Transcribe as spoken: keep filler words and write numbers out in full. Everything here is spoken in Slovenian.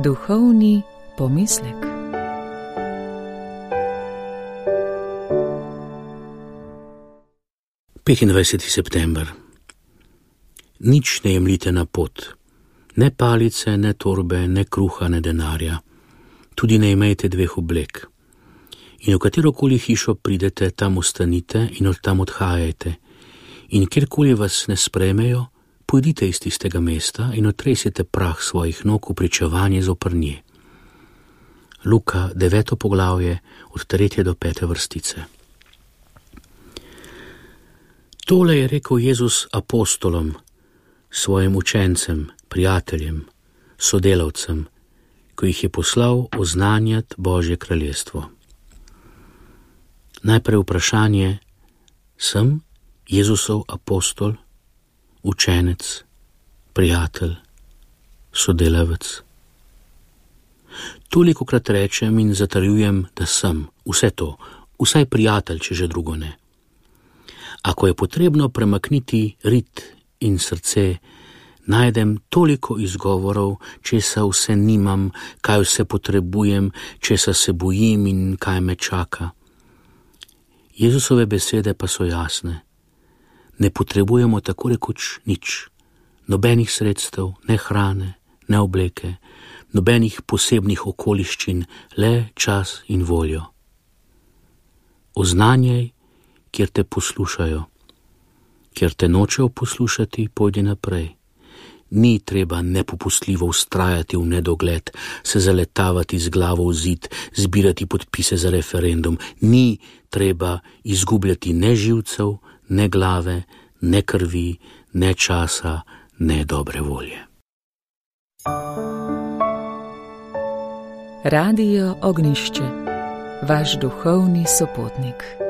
Duhovni pomislek. petindvajseti september. Nič ne jemljite na pot, ne palice, ne torbe, ne kruha, ne denarja, tudi ne imejte dveh oblek. In v katerokoli hišo pridete, tam ostanite in od tam odhajajte. In kjerkoli vas ne sprejmejo, pojdite iz tistega mesta in otresite prah svojih nog v pričevanje zoper nje. Luka, deveto poglavje, od tretje do pete vrstice. Tole je rekel Jezus apostolom, svojim učencem, prijateljem, sodelavcem, ko jih je poslal oznanjati Božje kraljestvo. Najprej vprašanje, sem Jezusov apostol, učenec, prijatelj, sodelavec? Tolikokrat rečem in zatrjujem, da sem vse to, vsaj prijatelj, če že drugo ne. Ako je potrebno premakniti rit in srce, najdem toliko izgovorov, česa vse nimam, kaj vse potrebujem, česa se bojim in kaj me čaka. Jezusove besede pa so jasne. Ne potrebujemo tako rekoč nič, nobenih sredstev, ne hrane, ne obleke, nobenih posebnih okoliščin, le čas in voljo. Oznanjaj, kjer te poslušajo. Kjer te nočejo poslušati, pojdi naprej. Ni treba nepopustljivo vztrajati v nedogled, se zaletavati z glavo v zid, zbirati podpise za referendum. Ni treba izgubljati ne živcev, ne glave, ne krvi, ne časa, ne dobre volje. Radio Ognjišče, vaš duhovni sopotnik.